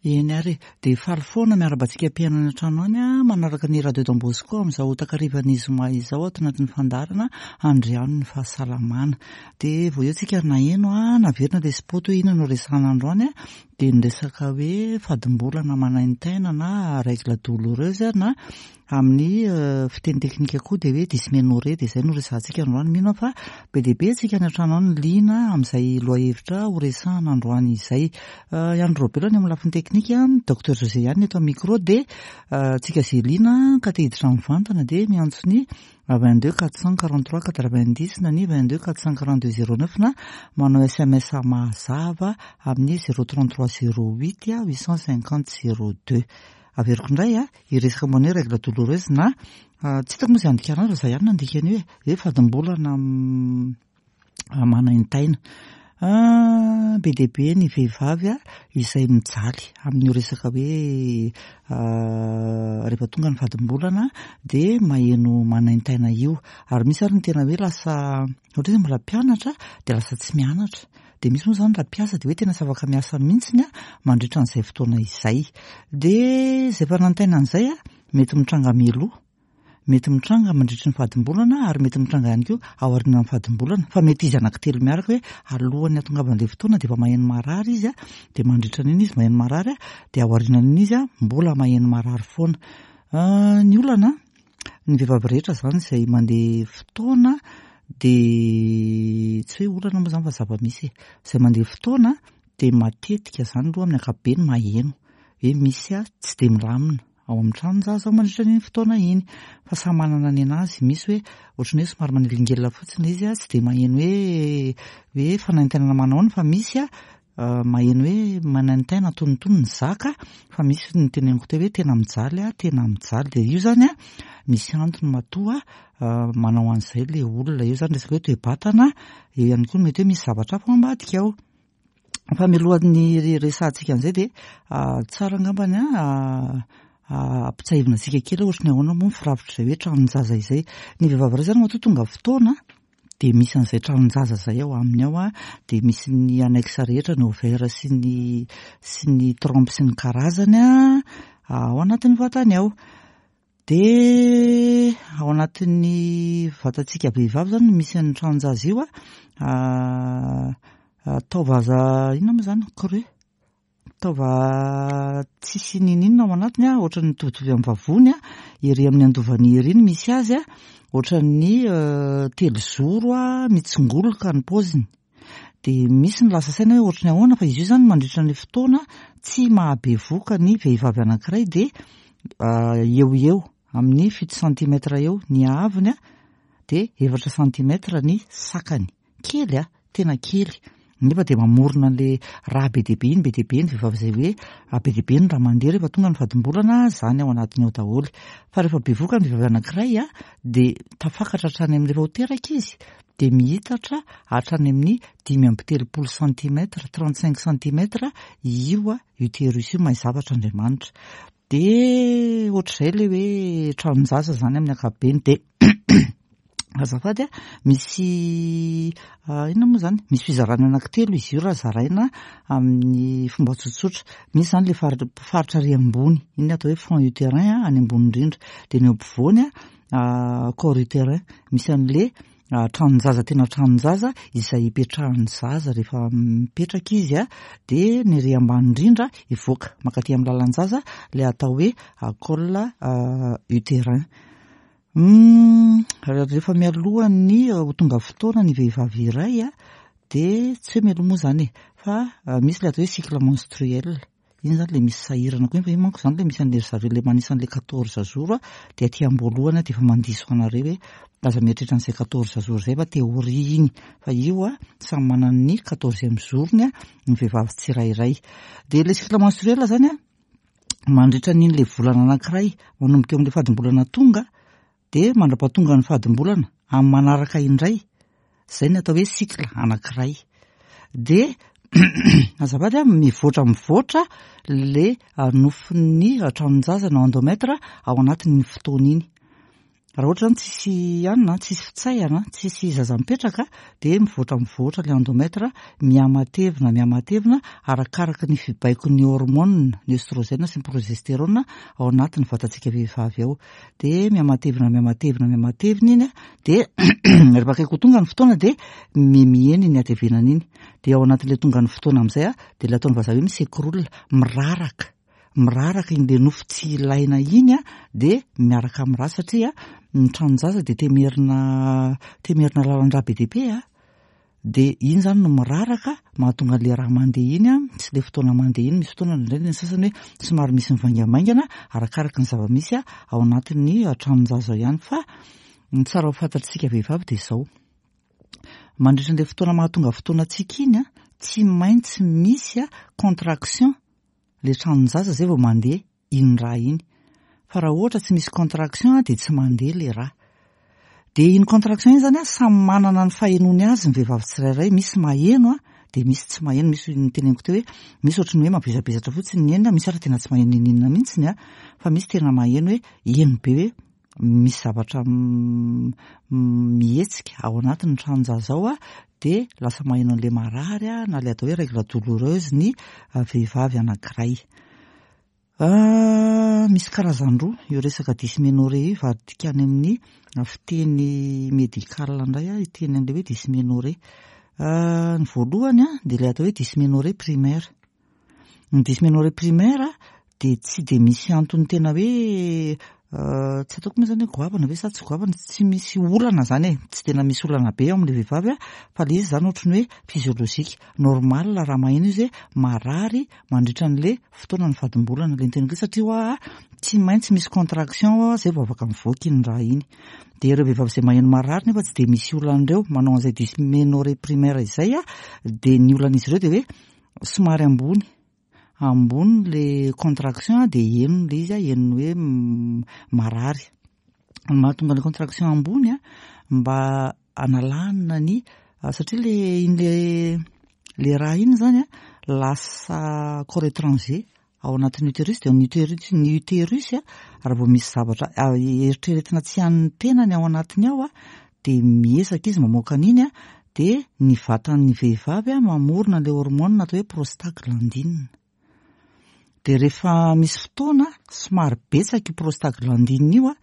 Eny ary e! Dia faly foana miarahaba antsika mpihaino any an-trano any manaraka ny Radio Don Bosco amin'izao takarivan'ny zoma izao ato anatin'ny fandaharana Andriano ny fahasalamana. Dia vao eo tsika ary naheno naverina ilay spot hoe inona no resahana androany dia ny resaka hoe fadimbolana manaintaina na règle douloureuse na Amin'ny fiteny teknika koa dia hoe dysménorrhée dia izay no resahantsika androany. Mino aho fa be dia be antsika any an-trano any liana amin'izay lohahevitra ho resahana androany izay. I Andry Raobelina ny amin'ny lafiny teknika, Docteur José ihany ny eto amin'ny micro dia antsika izay liana ka te hiditra mivantana dia miantso ny 22 443 90 na ny 22 442 09 na manao sms mazava amin'ny 033 08 850 02. Averiko indray a, hiresaka momba ny hoe règle douloureuse na tsy hitako moa izay andikana azy fa za ihany nandika an'io e, hoe fadimbolana manaintaina. Be dia be ny vehivavy izay mijaly amin'io resaka hoe rehefa tonga ny fadimbolana dia maheno manaintaina io. Ary misy ary ny tena hoe lasa ohatra hoe mbola mpianatra dia lasa tsy mianatra. Dia misy moa izany raha mpiasa dia hoe tena tsy afaka miasa mihitsiny mandritra an'izay fotoana izay. Dia izay fanantainana izay mety mitranga mialoha, mety mitranga mandritry ny fadimbolana ary mety mitranga ihany koa aorianan'ny fadimbolana. Fa mety izy anankitelo miaraka hoe alohan'ny hatongavan'ilay fotoana dia efa maheno marary izy dia mandritra an'iny izy maheno marary dia aorianan'iny izy mbola maheno marary foana. Ny olana Ny vehivavy rehetra izany izay mandeha fotoana dia tsy hoe olana moa izany fa zava-misy e. Izay mandeha fotoana dia matetika izany aloha amin'ny ankapobeny maheno hoe misy tsy dia milamina ao amin'ny tranon-jaza ao mandritra an'iny fotoana iny. Fa samy manana ny an'azy, misy hoe ohatran'ny hoe somary manelingelina fotsiny ilay izy, tsy dia maheno hoe hoe fanaintainana manahoana fa misy Maheno hoe manaintaina antonontonony ny zaka fa misy ny teneniko teo hoe tena mijaly aho, tena mijaly. Dia io izany an, misy antony matoa manao an'izay ilay olona. Eo izany resaka hoe toe-batana, eo ihany koa mety hoe misy zavatra hafa ao ambadika ao. Fa mialohan'ny resahantsika an'izay dia tsara angambany an, ampitsahivina antsika kely hoe ohatry ny ahoana moa ny firafitr'izay hoe tranon-jaza izay. Ny vehivavy iray izany matoa tonga fotoana dia misy an'izay tranon-jaza izay ao aminy ao dia misy ny annexe rehetra, ny ovaire sy ny sy ny trompe sy ny karazany ao anatin'ny vatany ao. Dia ao anatin'ny vatantsika vehivavy izany no misy an'ny tranon-jaza io taova inona moa izany creux. Taova tsisy ninoninona ao anatiny a, ohatran'ny mitovitovy amin'ny vavony a, ery amin'ny andovany ery no misy azy a, ohatran'ny telozoro a, mitsingoloka ny paoziny. Dia misy ny lasa saina hoe ohatran'ny ahoana fa izy io izany mandritra ny fotoana tsy mahabevoka ny vehivavy anankiray dia eo ho eo amin'ny fito centimètre eo ny haavony a, dia efatra centimètre ny sakany. Kely a! Tena kely. Nefa dia mamorona an'ilay raha be dia be iny, be dia be ny vehivavy izay hoe be dia be ny raha mandeha rehefa tonga ny fadimbolana, izany ao anatiny ao daholo. Fa rehefa bevoka ny vehivavy anankiray a, dia tafakatra hatrany amin'ny rehefa ho teraka izy, dia mihitatra hatrany amin'ny 35 centimètres, 35 centimètres io utérus io, mahay zavatra Andriamanitra. Dia ohatr'izay ilay hoe tranon-jaza izany amin'ny ankapobeny. Dia azafady a, misy inona moa izany? Misy fizarana anankitelo izy io raha zaraina amin'ny fomba tsotsotra. Misy izany ilay faritra ary ambony, iny no atao hoe fond utérin any ambony indrindra. Dia ny eo ampovoany corps utérin, misy an'ilay Tranon-jaza tena tranon-jaza izay ipetrahan'ny zaza rehefa mipetraka izy a, dia ny ery ambany indrindra hivoaka mankaty amin'ny lalan-jaza ilay atao hoe col utérin. Rehefa mialohan'ny ho tonga fotoana ny vehivavy iray a, dia tsy hoe mialoha moa izany e, fa misy ilay atao hoe cycle menstruel. Iny zany le misy sahirana koa iny fa iny manko zany le misy an'le ry zareo le manisa an'le 14 jours dia aty am-boalohany aho dia efa mandiso anareo hoe aza mieritreritra an'izay 14 jours izay fa théorie iny fa io a samy manana ny quatorzième jour-ny ny vehivavy tsirairay. Dia le cycle menstruel zany a mandritra an'iny le volana anankiray manomboka eo amin'le fadimbolana tonga dia mandra-pahatonga ny fadimbolana amin'ny manaraka indray, izay ny atao hoe cycle anankiray. Dia azafady a, mivoatra mivoatra le nofon'ny tranon-jaza na endomètre ao anatin'iny fotoana iny. Raha ohatra zany tsisy anona, tsisy fitsaihana, tsisy zaza mipetraka dia mivoatra mivoatra ilay endomètre, mihamatevina mihamatevina arakaraka ny fibaikon'ny hormone, ny œstrogène sy ny progestérone ao anatin'ny vatantsika vehivavy ao. Dia mihamatevina mihamatevina mihamatevina iny dia rehefa akaiky ho tonga ny fotoana dia mihemihena iny hatevenana iny. Dia ao anatin'ilay tonga ny fotoana amin'izay dia ilay ataon'ny vazaha hoe mi-s'écroule, miraraka. Miraraka iny le nofo tsy ilaina iny dia miaraka amin'ny rà satria ny tranon-jaza dia temerina temerina lalan-drà be dia be dia iny zany no miraraka mahatonga an'le rà mandeha iny sy le fotoana mandeha iny. Misy fotoana indraindray ny sasany hoe somary misy mivaingamaingana arakaraka ny zava-misy ao anatin'ny tranon-jaza ao ihany. Fa ny tsara ho fantatsika vehivavy dia izao, mandritra an'ilay fotoana mahatonga fotoana antsika iny tsy maintsy misy contraction le tranon-jaza zay vao mandeha iny rà iny. Fa raha ohatra tsy misy contraction dia tsy mandeha le rà. Dia iny contraction iny zany samy manana ny fahenoany azy ny vehivavy tsirairay, misy maheno dia misy tsy maheno, misy ny teneniko teo hoe misy ohatry ny hoe mavesabesatra fotsiny ny henony, misy ary tena tsy maheno n'inon'inona mihitsiny fa misy tena maheno hoe heno be hoe misy zavatra mihetsika ao anatin'ny tranon-jaza ao dia lasa maheno an'ilay marary na ilay atao hoe règle douloureuse ny vehivavy anankiray. Misy karazany roa io resaka dysménorrhée io, vadika any amin'ny fiteny médical indray aho hiteny an'ilay hoe dysménorrhée. Ny voalohany dia ilay atao hoe dysménorrhée primaire. Ny dysménorrhée primaire dia tsy dia misy antony tena hoe tsy ataoko moa zany hoe goavana ve sa tsy goavana, tsy misy olana zany e, tsy tena misy olana be ao amin'ilay vehivavy fa ilay izy zany ohatry ny hoe physiologique, normal raha maheno izy hoe marary mandritra an'ilay fotoana ny fadimbolana ilay niteniko hoe satria hoa tsy maintsy misy contraction hoa zay vao afaka mivoaka iny raha iny. Dia ireo vehivavy izay maheno marary nefa tsy dia misy olana ireo manao an'izay dysménorrhée primaire izay dia ny olan'izy ireo dia hoe somary ambony, ambony le contraction dia heno le izy, heno hoe marary. Ny mahatonga le contraction ambony mba analana ny, satria le iny le le raha iny zany lasa corps étranger ao anatin'ny utérus, dia ny utérus, ny utérus raha vao misy zavatra eritreretina tsy an'ny tenany ao anatiny ao dia miezaka izy mamoaka an'iny dia ny vatan'ny vehivavy mamorona ilay hormone atao hoe prostaglandine. Dia rehefa misy fotoana somary betsaka io prostaglandine io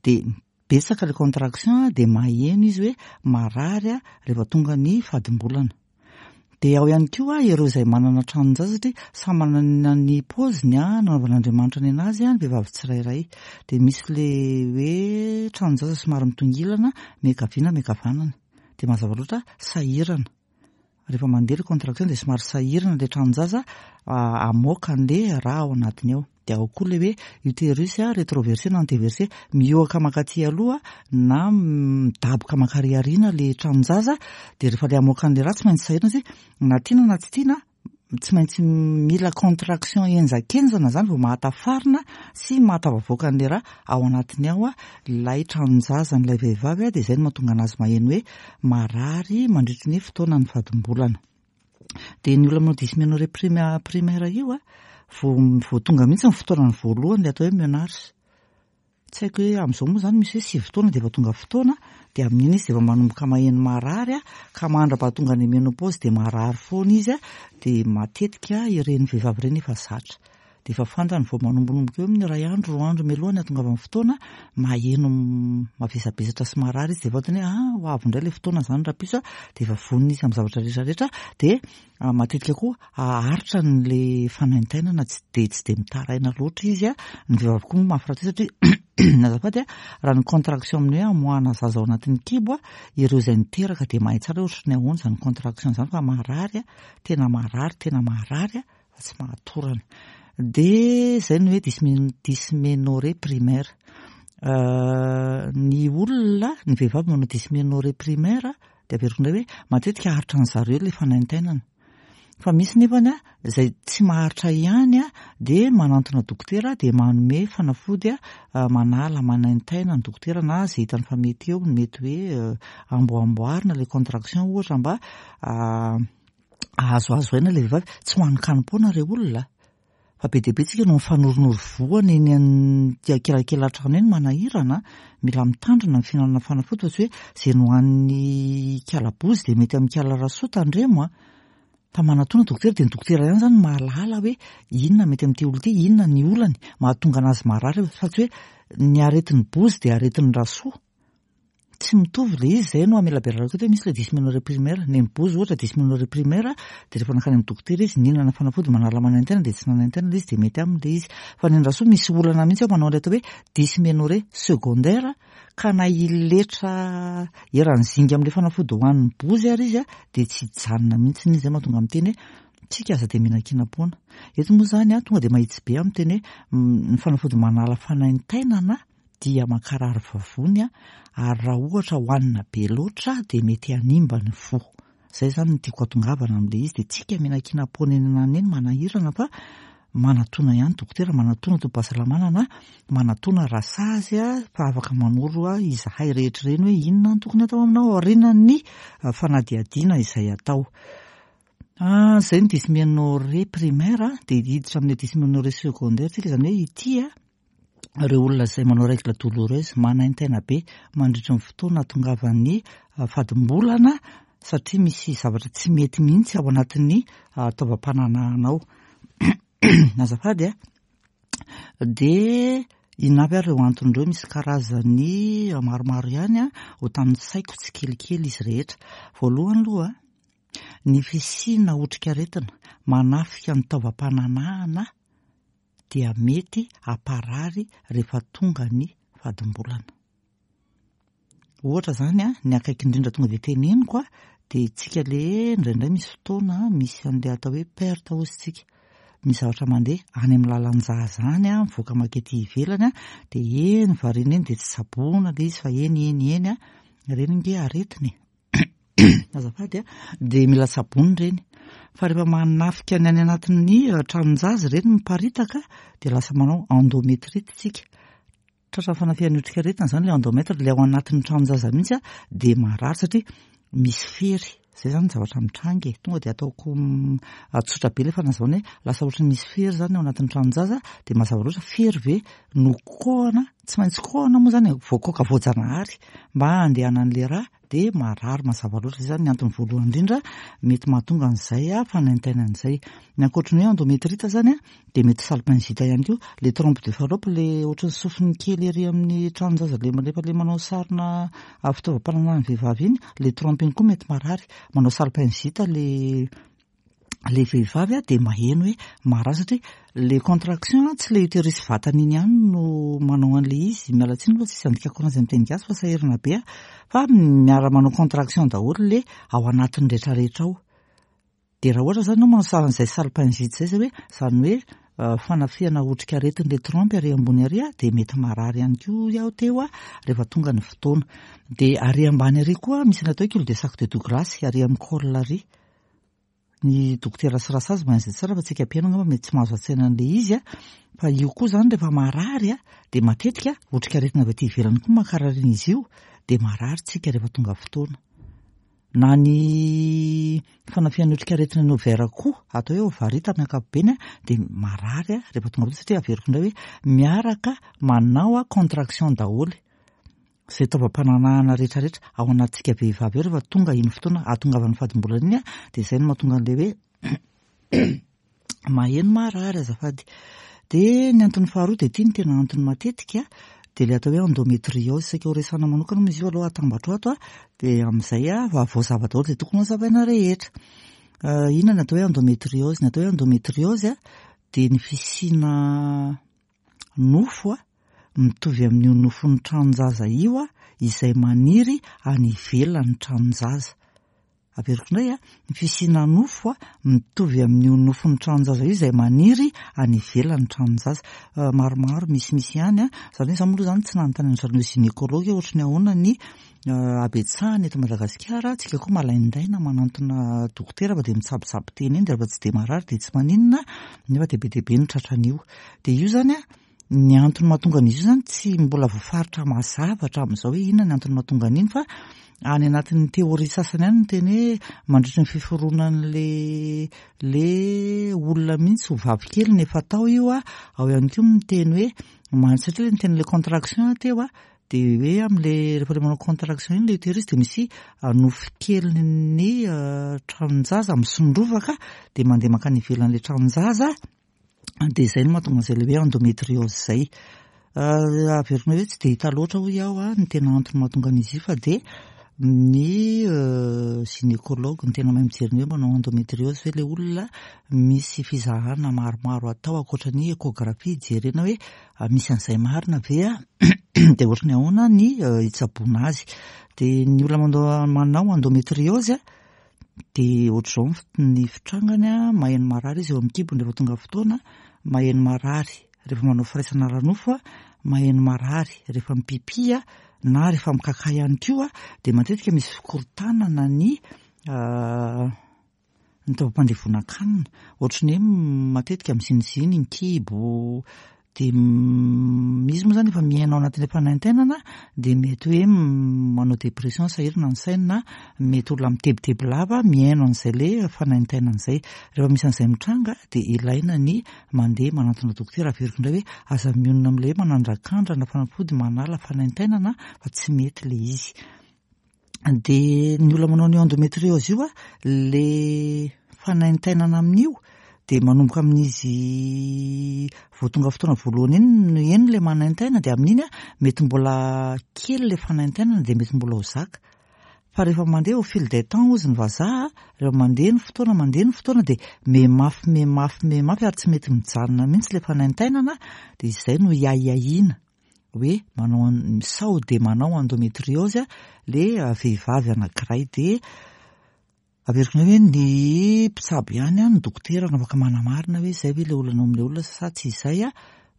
dia betsaka ilay contraction dia maheno izy hoe marary rehefa tonga ny fadimbolana. Dia ao ihany koa ireo izay manana tranon-jaza satria samy manana ny paoziny nanaovan'Andriamanitra ny anazy ny vehivavy tsirairay. Dia misy ilay hoe tranon-jaza somary mitongilana miankavia na miankavanana. Dia mazava loatra sahirana. Rehefa mandeha ilay contraction dia somary sahirana ilay tranon-jaza hamoaka an'ilay rà ao anatiny ao. Dia ao koa ilay hoe utérus rétroversé na antéversé, mihoaka mankaty aloha na midaboka mankary aoriana ilay tranon-jaza, dia rehefa ilay hamoaka an'ilay rà tsy maintsy sahirana satria na tiana na tsy tiana tsy maintsy mila contraction henjakenjana zany vao mahatafarina sy mahatafavoaka an'ilay rà ao anatiny ao ilay tranon-jazan'ilay vehivavy, dia izay no mahatonga anazy maheno hoe marary mandritry ny fotoanan'ny fadimbolana. Dia ny olona manao dysménorrhée primaire io vao tonga mihitsy ny fotoanany voalohany ilay atao hoe menarche. Tsy haiko hoe amin'izao moa zany misy hoe 9 taona dia efa tonga fotoana, dia amin'iny izy dia efa manomboka maheno marary ka mandra-pahatonga ny ménopause dia marary foana izy dia matetika ireny vehivavy ireny efa zatra. Dia efa fantany vao manombonomboka eo amin'ny 1 andro, 2 andro mialoha ny hahatongavan'ny fotoana, maheno mavesabesatra sy marary izy dia fantany hoe ho avy indray ilay fotoana zany rahampitso dia efa vonona izy amin'ny zavatra rehetra rehetra. Dia matetika koa haharitra an'ilay fanaintainana, tsy dia mitaraina loatra izy. Ny vehivavy koa moa mafy rahateo satria azafady raha ny contraction amin'ny hoe amoahana zaza ao anatin'ny kibo ireo izay niteraka dia mahay tsara hoe ohatry ny ahoana izany contraction izany fa marary tena marary, tena marary fa tsy mahatorana. Dia izay no hoe dysménorrhée primaire. Ny olona, ny vehivavy manao dysménorrhée primaire dia averiko indray hoe matetika haharitra ny zareo ilay fanaintainana. Fa misy nefany izay tsy maharitra ihany dia manantona dokotera dia manome fanafody manala manaintaina ny dokotera na izay hitany fa mety eo, mety hoe amboamboarina ilay contraction ohatra mba ahazoazo aina ilay vehivavy. Tsy hohanin-kanim-poana ireo olona. Fa be dia be tsika no mifanornoro voany eny an-kilakilatrano eny manahirana a. Mila mitandrina ny fihinanana fanafody fa tsy hoe izay nohanin'ny ikala bozy dia mety amin'ny ikala rasoa tandremo a. Fa manatona dokotera dia ny dokotera ihany izany no mahalala hoe inona mety amin'ity olona ity, inona ny olany mahatonga anazy marary fa tsy hoe ny aretin'ny bozy dia aretin'ny rasoa. Tsy mitovy ilay izy, izay no amelabelarako eto hoe misy ilay dysménorrhée primaire. Ny an'ny bozy ohatra dysménorrhée primaire dia rehefa nankany amin'ny dokotera izy nihinana fanafody manala manaintaina dia tsy nanaintaina ilay izy dia mety aminy ilay izy. Fa ny an'ny rasoa misy olana mihitsy ao manao ilay atao hoe dysménorrhée secondaire ka na hiletra eran'ny zinga amin'ilay fanafody hohanin'ny bozy ary izy dia tsy hijanona mihitsy izy. Izay mahatonga miteny hoe tsika aza dia mihinan-kinam-poana. Eto moa izany tonga dia mahitsy be aho miteny hoe ny fanafody manala fanaintainana dia mankarary vavony ary raha ohatra hohanina be loatra dia mety hanimba ny voa. Izay izany no tiako hatongavana amin'ilay izy dia tsika mihinan-kinam-poana eny ananona eny manahirana fa manatona ihany dokotera, manatona tobim-pahasalamana na manatona rasazy fa afaka manoro izahay rehetra ireny hoe inona no tokony atao aminao aorianan'ny fanadihadiana izay atao. Izay ny dysménorrhée primaire dia hiditra amin'ny dysménorrhée secondaire tsika, izany hoe ity ireo olona izay manao règle douloureuse, manaintaina be mandritry ny fotoana ahatongavan'ny fadimbolana satria misy zavatra tsy mety mihitsy ao anatin'ny taovam-pananahana ao. Azafady a. Dia inona avy ary ireo antony ireo? Misy karazany maromaro ihany a, ho tanisaiko tsikelikely izy rehetra. Voalohany aloha, ny fisiana otrikaretina manafika ny taovam-pananahana dia mety hamparary rehefa tonga ny fadimbolana. Ohatra izany, ny akaiky indrindra tonga dia teneniko dia tsika le indraindray misy fotoana misy an'ilay atao hoe perte hozy tsika. Misy zavatra mandeha any amin'ny lalan-jaza any, mivoaka makety ivelany dia eny variana eny dia tsy tsaboina ilay izy fa eny eny eny, ireny ange aretina e. Azafady a, dia mila tsaboina ireny. Fa rehefa manafika ny any anatin'ny tranon-jaza ireny miparitaka dia lasa manao endométrite tsika. Tratran'ny fanafihan'ny otrikaretina izany ilay endomètre, ilay ao anatin'ny tranon-jaza mihitsy dia marary satria misy fery. Izay izany ny zavatra mitranga e. Tonga dia ataoko tsotra be ilay fanazavana hoe lasa ohatran'ny misy fery izany ao anatin'ny tranon-jaza dia mazava loatra fery ve no kohana, tsy maintsy kohana moa izany e, voakoaka voajanahary mba handehanan'ilay rà dia marary mazava loatra. Izay izany ny antony voalohany indrindra mety mahatonga an'izay fanaintainana izay. Ny ankoatry ny hoe endométrite izany dia mety salpingite ihany koa. Ilay trompe de Fallope, ilay ohatran'ny sofiny kely ery amin'ny tranon-jaza ilay rehefa ilay manao sarina fitaovam-pananahan'ny vehivavy iny, ilay trompe iny koa mety marary. Manao salpingite ilay ilay vehivavy dia maheno hoe marary satria ilay contraction tsy ilay utérus vatany iny ihany no manao an'ilay izy, miala tsiny aloha tsisy andikako anazy amin'ny teny gasy fa sahirana be aho, fa miara-manao contraction daholo ilay ao anatiny rehetrarehetra ao. Dia raha ohatra izany ianao manao an'izay salpingite izay, izay hoe izany hoe fanafihana otrikaretin'ilay trompe ary ambony ary dia mety marary ihany koa aho teo rehefa tonga ny fotoana. Dia ary ambany ary koa misy ny atao hoe cul de sac de Douglas ary amin'ny col ary. Ny dokotera sy rasazy mahay an'izay tsara fa tsika mpihaino angamba mety tsy mahazo an-tsaina an'ilay izy a. Fa io koa izany rehefa marary a, dia matetika otrikaretina avy aty ivelany koa mankarary an'izy io, dia marary tsika rehefa tonga fotoana. Na ny fanafihan'ny otrikaretina ny ovaire koa, atao hoe ovarite amin'ny ankapobeny a, dia marary a rehefa tonga fotoana satria averiko indray hoe miaraka manao contraction daholo. Izay taovam-pananahana rehetra rehetra ao anatintsika vehivavy ao rehefa tonga iny fotoana ahatongavan'ny fadimbolana iny dia izay no mahatonga an'ilay hoe maheno marary azafady. Dia ny antony faharoa dia ity no tena antony matetika dia ilay atao hoe endométriose. Saika ho resahana manokana moa izy io aloha atambatro ato dia amin'izay voazava daholo izay tokony hozavaina rehetra. Inona ny atao hoe endométriose? Ny atao hoe endométriose dia ny fisiana nofo mitovy amin'io nofon'ny tranon-jaza io izay maniry any ivelan'ny tranon-jaza. Averiko indray, ny fisiana nofo mitovy amin'io nofon'ny tranon-jaza io izay maniry any ivelan'ny tranon-jaza. Maromaro misimisy ihany. Izany hoe izaho moa aloha izany tsy nanontany an-dry zareo gynécologue hoe ohatry ny ahoana ny habetsahana eto Madagasikara. Tsika koa malaindaina manantona dokotera fa dia mitsabotsabo tena eny dia rehefa tsy dia marary dia tsy maninona nefa dia be dia be ny tratran'io. Dia io izany. Ny antony mahatonga an'izy io izany tsy mbola voafaritra mazava hatramin'izao hoe inona ny antony mahatonga an'iny fa any anatin'ny théorie sasany any ny teny hoe mandritry ny fiforonan'le le olona mihitsy ho vavy kely ny efa tao io a, ao ihany koa ny miteny hoe man- satria le niteny le contraction aho teo a, de hoe am'le rehefa le manao contraction iny le utérus de misy nofo kelin'ny tranon-jaza misondrovaka de mandeha mankany ivelan'le tranon-jaza, de izay no mahatonga an'izay le hoe endométriose zay. Averina hoe tsy de hita loatra hoy aho a ny tena antony mahatonga an'izy io fa de ny gynécologue no tena mahay mijery ny hoe manao endométriose ve le olona, misy fizahana maromaro atao ankoatra ny échographie jerena hoe misy an'izay marina ve a, de ohatry ny ahoana ny hitsaboana azy. De ny olona manao endométriose a de ohatr'izao ny fitrangany a, maheno marary izy eo amin'ny kibony rehefa tonga fotoana, maheno marary rehefa manao firaisana ara-nofo a, maheno marary rehefa mipipi a, na rehefa mikaka ihany koa, de matetika misy fikorontanana ny ny taovam-pandevonan-kanina, ohatry ny hoe matetika miziniziny ny kibo, de izy moa zany efa miaina ao anatin'ilay fanaintainana de mety hoe manao dépression sahirana ny sainy na mety olona mitebiteby lava miaino an'izay le fanaintainana izay. Rehefa misy an'izay mitranga de ilaina ny mandeha manantona dokotera. Averiko indray hoe aza mionona amin'ilay hoe manandrakandrana fanafody manala fanaintainana fa tsy mety le izy. De ny olona manao an'io endométriose io a, le fanaintainana amin'io de manomboka amin'izy vao tonga fotoana voalohany iny no eny le manaintaina, de amin'iny a mety mbola kely le fanaintainana de mety mbola ho zaka. Fa rehefa mandeha au fil des temps hozy ny vazaha, rehefa mandeha ny fotoana, mandeha ny fotoana de mihamafy, mihamafy, mihamafy ary tsy mety mijanona mihitsy le fanaintainana, de izay no hiahiahiana hoe manao sao de manao endométriose le vehivavy anankiray. De averiko indray hoe ny mpitsabo ihany a, ny dokotera no afaka manamarina hoe izay ve le olana ao amin'ilay olona sa tsy izay a,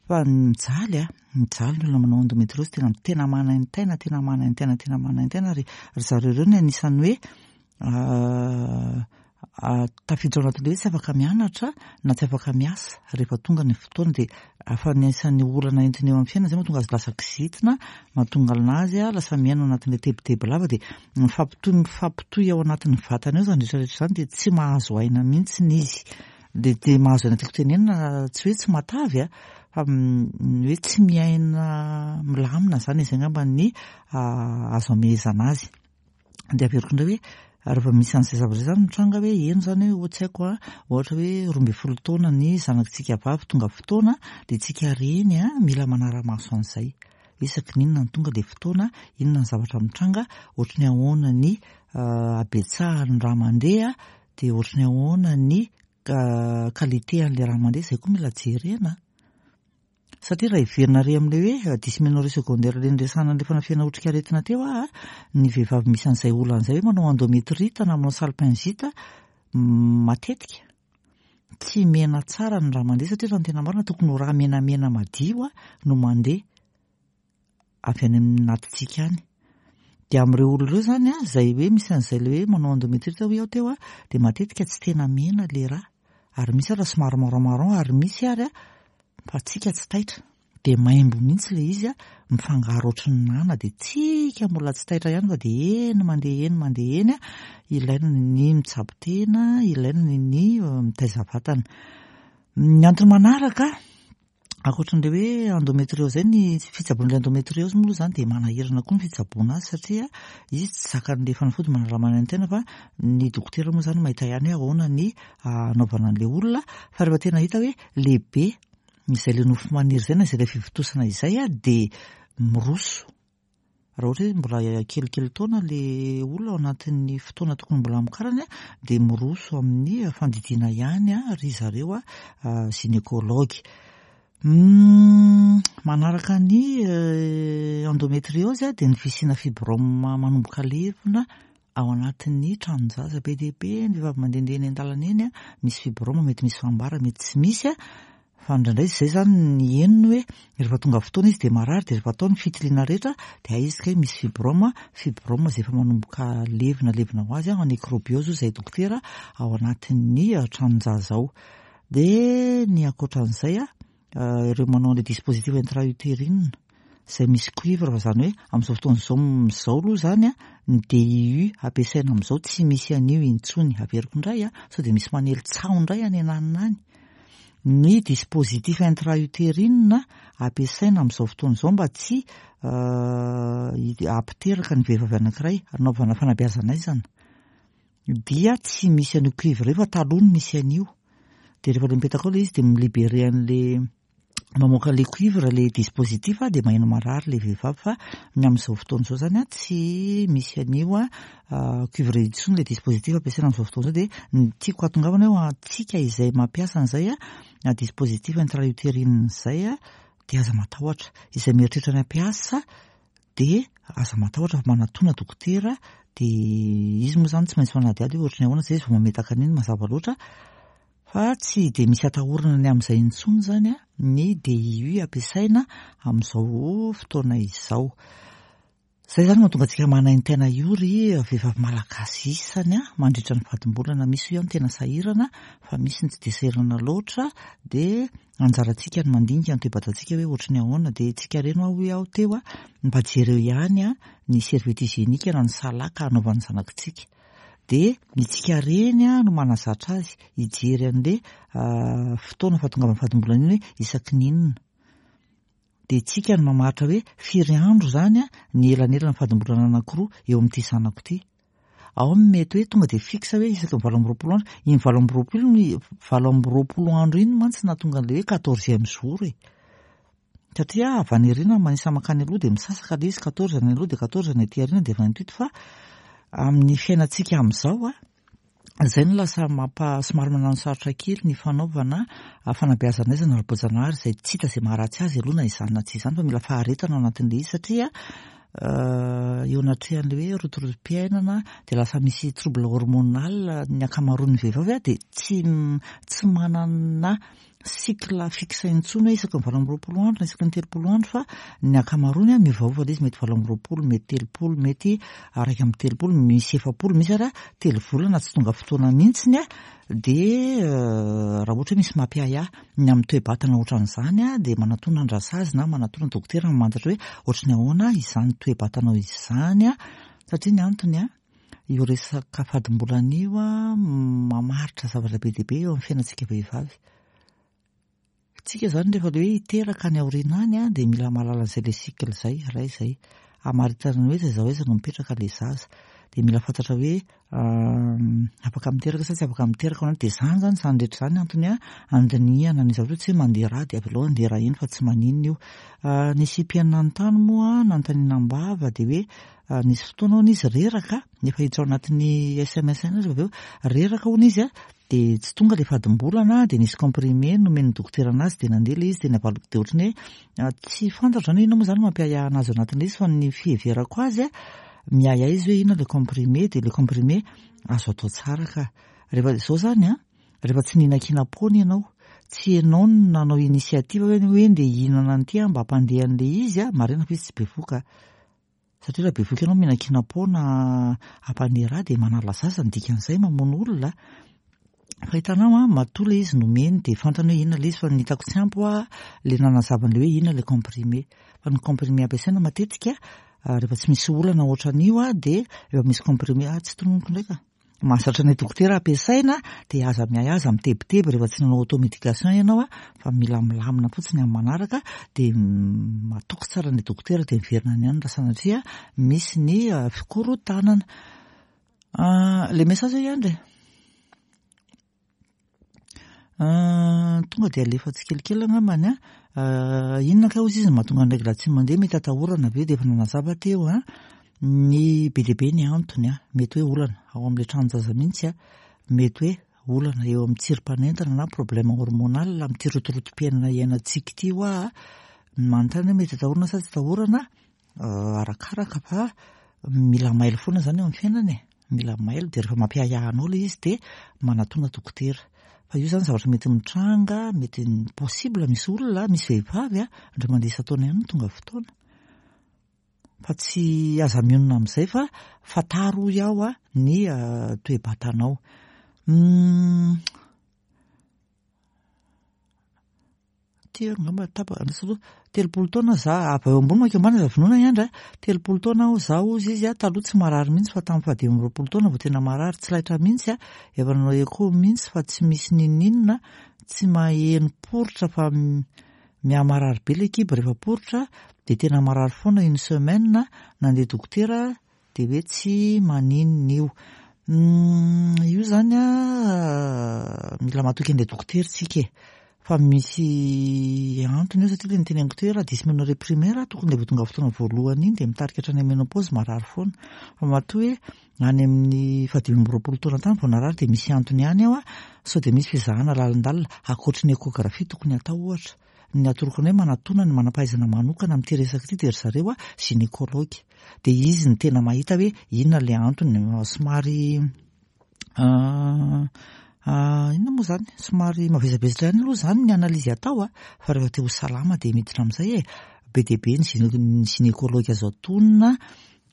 fa mijaly a, mijaly ny olona manao endométriose, tena tena manaintaina, tena manaintaina, tena manaintaina ary ry zareo ireo no anisan'ny hoe tafiditra ao anatin'ilay hoe tsy afaka mianatra na tsy afaka miasa rehefa tonga ny fotoana, dia afa anisan'ny olana entiny eo amin'ny fiainana izay mahatonga azy lasa kizitina, mahatonga anazy lasa miaina ao anatin'ilay tebiteby lava, dia mifampitohy mifampitohy ao anatin'ny vatana eo izany rehetra rehetra izany, dia tsy mahazo aina mihitsy izy. Dia dia mahazo aina tiako tenenina tsy hoe tsy matavy a, fa ny hoe tsy miaina milamina izany, izay angamba ny azo amehezana azy. Dia averiko indray hoe rehefa misy an'izay zavatra izay izany mitranga hoe eny izany hoe tsy haiko a, ohatra hoe 12 taona ny zanakitsika vavy tonga fotoana, dia tsika reny a mila manara-maso an'izay. Isaky ny inona no tonga ilay fotoana, inona ny zavatra mitranga, ohatry ny ahoana ny habetsahan'ny rà mandeha, dia ohatry ny ahoana ny qualité an'ilay rà mandeha, izay koa mila jerena. Satria raha heverina ary amin'ilay hoe dysménorrhée secondaire ilay niresahana an'ilay fanafihana otrikaretina teo aho, ny vehivavy misy an'izay olana izay hoe manao endométrite na manao salpingite matetika tsy mena tsara ny rà mandeha, satria raha ny tena marina tokony ho rà menamena madio no mandeha avy any amin'ny anatintsika any. Dia amin'ireo olona ireo izany a, izay hoe misy an'izay ilay hoe manao endométrite hoy aho teo a, dia matetika tsy tena mena ilay rà, ary misy ara somary marron marron, ary misy ary a, fa tsika tsy taitra, dia maimbo mihitsy ilay izy a, mifangaro ohatry ny nana, dia tsika mbola tsy taitra ihany fa dia eny mandeha eny mandeha eny a, ilaina ny mitsabo tena, ilaina ny mitaiza vatana. Ny antony manaraka, ankoatran'ilay hoe endométriose izay, ny fitsaboana ilay endométriose moa aloha izany dia manahirana koa ny fitsaboana azy, satria izy tsy zakan'ilay fanafody manala manaintaina, fa ny dokotera moa izany mahita ihany hoe ahoana ny hanaovana an'ilay olona, fa rehefa tena hita hoe lehibe izay ilay nofo maniry izay na izay ilay fivontosana izay dia miroso. Raha ohatra hoe mbola kelikely taona ilay olona ao anatin'ny fotoana tokony mbola hamokarany dia miroso amin'ny fandidiana ihany ry zareo gynécologue. Manaraka ny endométriose dia ny fisiana fibrome manomboka levona ao anatin'ny tranon-jaza. Be dia be ny vehivavy mandehandeha eny an-dalana eny, misy fibrome, mety misy fambara, mety tsy misy. Fa indraindray izay izany ny henony hoe rehefa tonga fotoana izy dia marary, dia rehefa atao ny fitiliana rehetra dia hay izy kay misy fibrome, fibrome izay efa manomboka levona, levona ho azy, nécrobiose hoy izahay dokotera ao anatin'ny tranon-jaza ao. Dia ny ankoatran'izay. ireo manao an'ilay dispositif intra-utérine izay misy cuivre fa izany hoe amin'izao fotoana izao izao aloha izany an, ny DIU ampiasaina amin'izao tsy misy an'io intsony. Averiko indray an, sao dia misy manely tsaho indray any ananona any. Ny dispositif intra-utérine ampiasaina amin'izao fotoana izao mba tsy hampiteraka ny vehivavy anankiray hanaovana fanabeazana aizana dia tsy misy an'io cuivre io fa taloha no misy an'io. Dia rehefa ilay mipetaka ao ilay izy dia mi-libérer an'ilay mamoaka ilay cuivre ilay dispositif dia maheno marary ilay vehivavy fa ny amin'izao fotoana izao izany tsy misy an'io cuivre intsony ilay dispositif ampiasaina amin'izao fotoana izao dia ny tiako hahatongavana hoe antsika izay mampiasa an'izay dispositif intra-utérine izay dia aza matahotra. Izay mieritreritra ny hampiasa dia aza matahotra fa manatona dokotera dia izy moa izany tsy maintsy manadihady hoe ohatran'ny ahoana izay izy vao mametaka an'iny mazava loatra fa tsy dia misy atahorana ny amin'izay intsony izany ny DIU ampiasaina amin'izao fotoana izao. Izay izany mahatonga antsika manaintaina io ry vehivavy malagasy isany mandritra ny fadimbolana. Misy io ihany tena sahirana fa misy ny tsy dia sahirana loatra dia anjarantsika ny mandinika ny toe-batantsika hoe ohatry ny ahoana. Dia tsika reny hoa hoy aho teo mba jereo ihany ny serviette hygiénique na ny salaka hanaovan'ny zanakitsika. Dia ny tsika reny no manazatra azy hijery an'ilay fotoana fahatongavan'ny fadimbolana iny hoe isaky ny inona. Dia tsika no mamaritra hoe firy andro izany ny elanelan'ny fadimbolana anankiroa eo amin'ity zanako ity. Ao ny mety hoe tonga dia fixe hoe isaky ny 28 andro. Iny 28 iny, 28 andro iny mantsy nahatonga an'ilay hoe quatorzième jour e. Satria avy any aoriana manisa mankany aloha dia misasaka ilay izy, quatorze ny aloha dia quatorze ny aty aoriana dia vingt-huit fa amin'ny fiainantsika amin'izao a, izay no lasa mampa somary manano sarotra kely ny fanaovana fanabeazana aizana ara-boajanahary izay tsy hita izay maharatsy azy aloha na izany na tsy izany fa mila faharetana ao anatin'ilay izy satria eo anatrehan'ilay hoe rotorotom-piainana dia lasa misy trouble hormonal ny ankamaroan'ny vehivavy dia tsy tsy manana cycle fixe intsony hoe isaky ny 28 andro na isaky ny 30 andro fa ny ankamaroany miovaova ilay izy, mety 28, mety 30, mety 31, misy 40, misy ary telo volana tsy tonga fotoana mihitsiny dia raha ohatra hoe misy mampiahiahy ny amin'ny toe-batana ohatran'izany dia manatona andrasazy na manatona dokotera mamantatra hoe ohatry ny ahoana izany toe-batanao izany satria ny antony io resaka fadimbolana io mamaritra zavatra be dia be eo amin'ny fiainantsika vehivavy. Tsika izany rehefa ilay hoe hiteraka any aoriana any dia mila mahalala an'izay ilay cycle izay, iray izay. Hamaritana ny hoe aiza ho aiza no mipetraka ilay zaza. Dia mila fantatra hoe afaka miteraka sa tsy afaka miteraka ao. Dia izany izany, izany rehetra izany antony handinihana ny zavatra hoe tsy hoe mandeha rà dia avelao handeha rà eny fa tsy maninona io. Nisy mpihaino nanontany moa, nanontaniana am-bava dia hoe Nisy fotoana hono izy reraka, efa hiditra ao anatin'ny sms ihany izy avy eo, reraka hono izy dia tsy tonga ilay fadimbolana dia nisy comprimé nomen'ny dokotera anazy dia nandeha ilay izy dia navaliko dia ohatran'ny hoe tsy fantatro izany hoe inona moa izany mampiahiahy anazy ao anatin'ilay izy fa ny fiheverako azy miahiahy izy hoe inona ilay comprimé dia ilay comprimé azo atao tsara ka. Rehefa izao izany an, rehefa tsy nihinan-kinam-poana ianao, tsy ianao no nanao initiative hoe hoe ndeha hihinana an'ity aho mba hampandeha an'ilay izy an, marina fa izy tsy bevohoka. Satria raha bevohoka ianao mihinan-kinam-poana hampandeha rà dia manala zaza ny dikan'izay, mamono olona. Fa hitanao an, matoa ilay izy nomeny dia fantany hoe inona ilay izy fa ny hitako tsy ampy hoa ilay nanazava an'ilay hoe inona ilay comprimé. Fa ny comprimé ampiasaina matetika rehefa tsy misy olana ohatran'io dia efa misy comprimé, ah tsy tononiko indray ka. Mahazatra ny dokotera ampiasaina dia aza miahy aza mitebiteby rehefa tsy nanao automédication ianao fa mila milamina fotsiny amin'ny manaraka dia matoky tsara ny dokotera dia miverina any ihany raha sanatria misy ny fikorontanana. Le message ihany re. Tonga dia alefa tsikelikely angambany an. Inona kay hozy izy no mahatonga ny règle tsy mandeha mety atahorana ve dia efa nanazava teo an. Ny be dia be ny antony an. Mety hoe olana ao amin'ilay tranon-jaza mihitsy an. Mety hoe olana eo amin'ny tsirim-panentana na problème hormonal amin'ity rotorotom-piainana iainantsika ity hoa. Manontany hoe mety atahorana sa tsy atahorana? Arakaraka fa mila mailo foana zany eo amin'ny fiainana e, mila mailo dia rehefa mampiahiahy anao ilay izy dia manatona dokotera. Fa io zany zavatra mety mitranga, mety possible misy olona, misy vehivavy a, indray mandeha isan-taona ihany no tonga fotoana. Fa tsy aza mionona amin'izay fa fantaro hoy aho a ny toe-batanao. Telo angamba tapaka, andraso aloha, 30 taona za, avy eo ambony mankeo ambany aza vonoina i Andry a, 30 taona aho za hozy izy a, taloha tsy marary mihitsy fa tamin'ny faha 25 taona vao tena marary, tsy laitra mihitsy a, efa nanao echo mihitsy fa tsy misy n'inon'inona, tsy maheno poritra fa miha-marary be ilay kibo rehefa poritra, dia tena marary foana une semaine, nandeha dokotera dia hoe tsy maninona io. Io izany an, mila matoky an'ilay dokotera isika e. Fa misy antony io satria ilay noteneniko teo hoe raha dysménorrhée primaire tokony ilay vao tonga fotoana voalohany iny dia mitarika hatrany amin'ny ménopause marary foana. Fa matoa hoe any amin'ny faha 25 taona tany vao narary dia misy antony ihany ao an, sao dia misy fizahana lalindalina ankoatry ny échographie tokony hatao ohatra. Ny atoroko anao hoe manatona ny manam-pahaizana manokana amin'ity resaka ity dia ry zareo a gynécologue. Dia izy no tena mahita hoe inona ilay antony. Somary inona moa izany? Somary mavesabesatra ihany aloha izany ny analyse atao a, fa rehefa te ho salama dia miditra amin'izay e. Be dia be ny gynécologue azo atonina.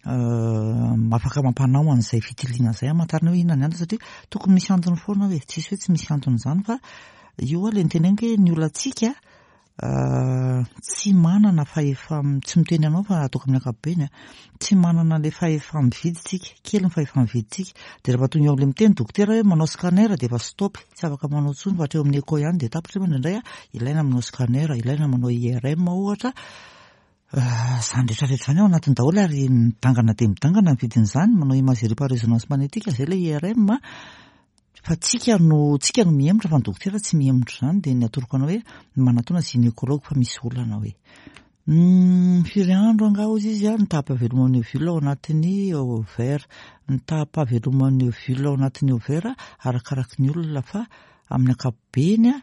Afaka mampanao an'izay fitiliana izay hamantarana hoe inona ny antony satria tokony misy antony foana hoe tsisy hoe tsy misy antony izany fa io aloha ilay noteneniko hoe ny olantsika tsy manana fahefa tsy miteny anao fa ataoko amin'ny ankapobeny a, tsy manana ilay fahefa-mividy tsika, kely ny fahefa-mividintsika dia rehefa tonga eo amin'ilay miteny dokotera hoe manao scanner dia efa stop, tsy afaka manao intsony fa hatreo amin'ny echo ihany dia tapitra nefa indraindray a ilaina manao scanner, ilaina manao IRM ohatra. Izany rehetra rehetra izany ao anatiny daholo ary midangana dia midangana ny vidin'izany, manao imagerie par résonance magnétique izay ilay IRM fa tsika no tsika no mihemotra fa ny dokotera tsy mihemotra izany dia ny atoroko anao hoe manatona gynécologue fa misy olana hoe. Firy andro angaha hozy izy ny taham-pahaveloman'ny ovule ao anatin'ny ovaire. Ny taham-pahaveloman'ny ovule ao anatin'ny ovaire arakaraky ny olona fa amin'ny ankapobeny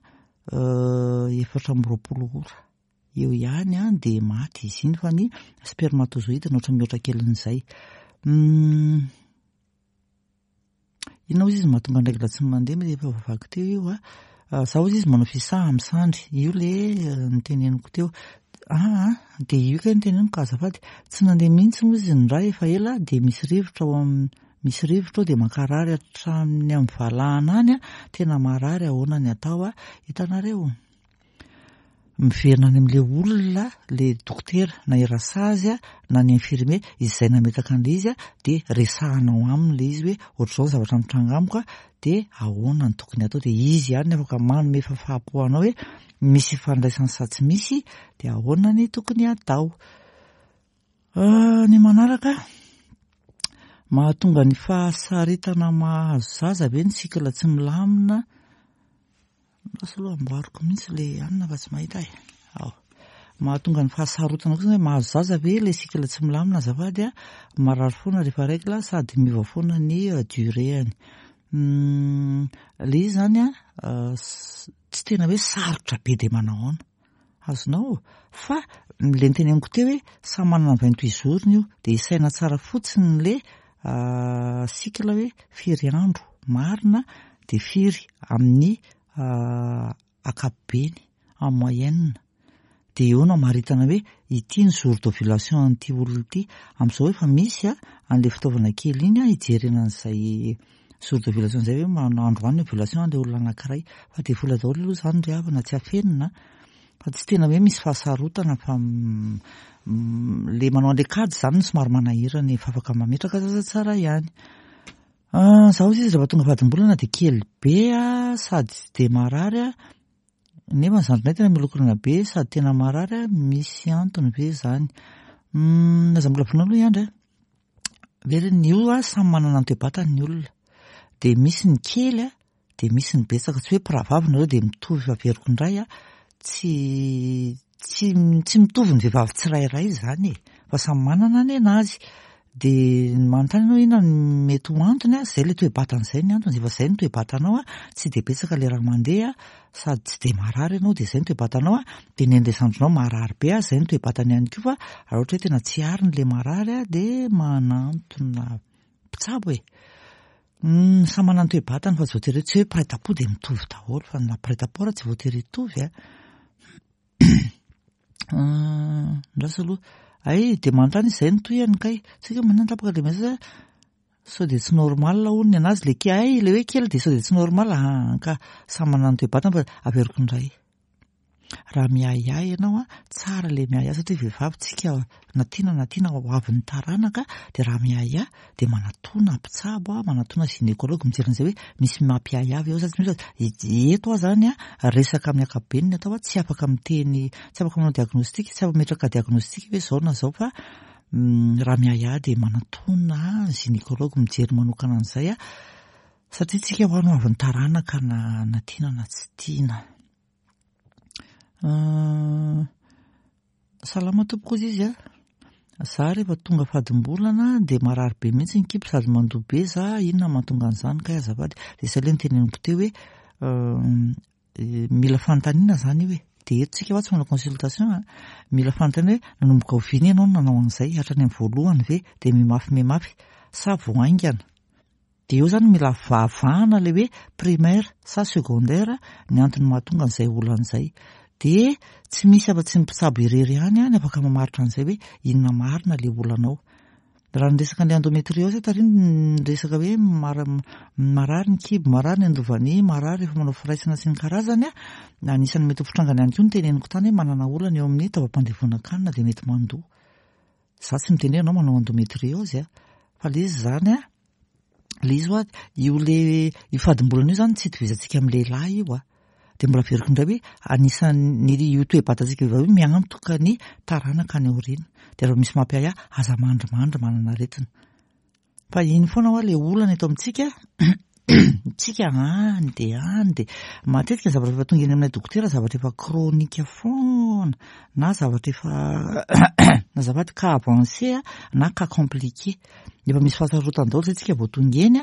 24 ora. Eo ihany an dia maty izy iny fa ny spermatozoïde no ohatran'ny mihoatra kelin'izay. Inona hozy izy mahatonga ny règle tsy mandeha mety efa voavaky teo io a. Za hozy izy manao fisaha amin'ny sandry, io le noteneniko teo. Aa dia io kay noteneniko ka azafady, tsy nandeha mihitsy hozy izy ny rà efa ela dia misy rivotra ao amin'ny misy rivotra ao dia mankarary hatramin'ny amin'ny valahana any a, tena marary ahoana ny atao a, hitanareo. Miverina any amin'ilay olona, ilay dokotera, na i rasazy na ny infirmier izay nametaka an'ilay izy dia resahanao aminy ilay izy hoe ohatr'izao ny zavatra mitranga amiko dia ahoana no tokony hatao dia izy ihany no afaka manome fahafaham-po anao hoe misy ifandraisany sa tsy misy dia ahoana ny tokony hatao. Ny manaraka, mahatonga ny fahasaritana mahazo zaza ve ny cycle tsy milamina? Lasa aloha amboariko mihitsy ilay anona fa tsy mahita e. Ao. Mahatonga ny fahasarotana kosa hoe mahazo zaza ve ilay cycle tsy milamina azafady a, marary foana rehefa règle sady miova foana ny durée-ny. Ilay izy izany a, tsy tena hoe sarotra be dia manao ahoana. Azonao? Fa ilay noteneniko teo hoe samy manana ny 28 jours-ny io, dia isaina tsara fotsiny ilay cycle hoe firy andro marina dia firy amin'ny ankapobeny, en moyenne. Dia eo no amaritana hoe ity ny jour d'ovulation an'ity olona ity. Amin'izao efa misy an'ilay fitaovana kely iny hijerena an'izay jour d'ovulation izay hoe manao androany ny ovulation an'ilay olona anankiray. Fa dia vola daholo aloha izany ry havana tsy afenina fa tsy tena hoe misy fahasarotana fa le manao an'ilay kajy izany no somary manahirana e, fa afaka mametraka zaza tsara ihany. Izaho hozy izy rehefa tonga fadimbolana dia kely be sady tsy dia marary aho, nefa ny zandrinay tena miolokolana be sady tena marary aho, misy antony ve izany? Aza mbola vonoina aloha i Andry a. Velona io a, samy manana ny toe-batany ny olona. Dia misy ny kely a, dia misy ny betsaka. Tsy hoe mpirahavavy nareo dia mitovy averiko indray a, tsy tsy tsy mitovy ny vehivavy tsirairay izany e, fa samy manana ny anazy. Dia ny manontany ianao inona no mety ho antony a, izay ilay toe-batana izay ny antony, efa izay ny toe-batanao a, tsy dia betsaka ilay raha mandeha sady tsy dia marary ianao dia izay ny toe-batanao a, dia ny an'ilay zandrinao marary be a, izay ny toe-batany ihany koa fa raha ohatra hoe tena tsy ariny ilay marary a, dia manantona mpitsabo e. Samy manana ny toe-batany fa tsy voatery hoe tsy hoe mpiray tampo dia mitovy daholo fa na mpiray tampo ary tsy voatery hitovy a. Andraso aloha. Hay dia manontany izy izay no tohiny kay. Tsy haiko hoe manina tapaka ilay message. Sao dia tsy normal hono ny anazy ilay kely. Hay ilay hoe kely dia sao dia tsy normal. Ah, ka samy manana ny toe-batany fa averiko indray. Raha miahiahy ianao an, tsara ilay miahiahy satria vehivavy tsika na tiana na tiana ho avin'ny taranaka dia raha miahiahy dia manatona mpitsabo, manatona gynécologue mijery an'izay hoe misy mampiahiahy ve ao sa tsy misy fa eto aho izany an, resaka amin'ny ankapobeny ny atao an, tsy afaka miteny, tsy afaka manao diagnostic, tsy afaka mametraka diagnostic hoe izao na izao fa raha miahiahy dia manatona gynécologue mijery manokana an'izay an, satria tsika ho any ho avin'ny taranaka na na tiana na tsy tiana. Salama tompoko ozy izy a. Za rehefa tonga fadimbolana dia marary be mihitsy ny kibo sady mandoa be za, inona mahatonga an'izany kay azafady? Dia izay ilay noteneniko teo hoe mila fanontaniana izany io e. Dia eto tsika fa tsy manao consultation a. Mila fanontaniana hoe nanomboka oviana ianao no nanao an'izay? Hatrany amin'ny voalohany ve? Dia mimafy mimafy sa vao haingana? Dia eo izany mila vahavahana ilay hoe primaire sa secondaire ny antony mahatonga an'izay olana izay. Dia tsy misy afa-tsy ny mpitsabo irery ihany ny afaka mamaritra an'izay hoe inona marina ilay olana ao. Raha ny resaka an'ilay endometriose tary ny resaka hoe marary ny kibo, marary ny andovania, marary rehefa manao firaisana sy ny karazany, anisan'ny mety ho fitrangany ihany koa ny teneniko tany hoe manana olana eo amin'ny taovam-pandevonan-kanina dia mety mandoa. Za tsy miteny hoe ianao manao endometriose a, fa le izy zany a, le izy hoa io le io fadimbolana io zany tsy itovizantsika amin'ny lehilahy io a, de mbola averiko indray hoe anisan'ny io toe-batantsika vehivavy io miantoka ny taranaka any aoriana, de raha misy mampiahiahy aza mandrimandry manana aretina. Fa iny foana hoa le olana eto amintsika, tsika any de any de matetika ny zavatra efa tonga eny aminay dokotera zavatra efa chronique foana na zavatra efa azafady cas avancé na cas compliqué. Efa misy fahasarotana daholo zay tsika vao tonga eny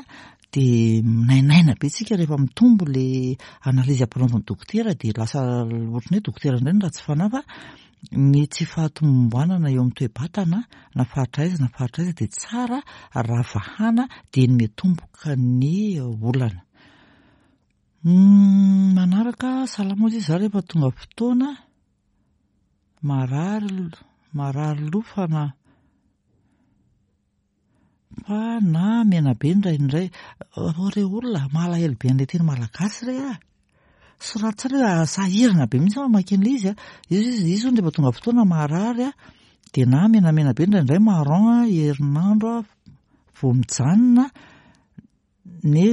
de minainaina be tsika rehefa mitombo le analyse ampanaovin'ny dokotera de lasa ohatran'ny hoe dokotera indray no ratsy fanahy fa Ny tsy fahatomombanana eo amin'ny toe-batana na faritra aiza na faritra aiza dia tsara raha vahana dieny miatomboka ny olana. Manaraka, salama ozy izy, za rehefa tonga fotoana marary marary loha fa na Fa na menabe indraindray, ô re olona, malahelo be an'ilay teny malagasy re ah! Soraty tsara hoe sahirana be mihitsy aho mamaky an'ilay izy ah! Izy izy izy hono rehefa tonga fotoana marary ah, dia na menamena be indraindray marron ah, herinandro ah, vao mijanona, ne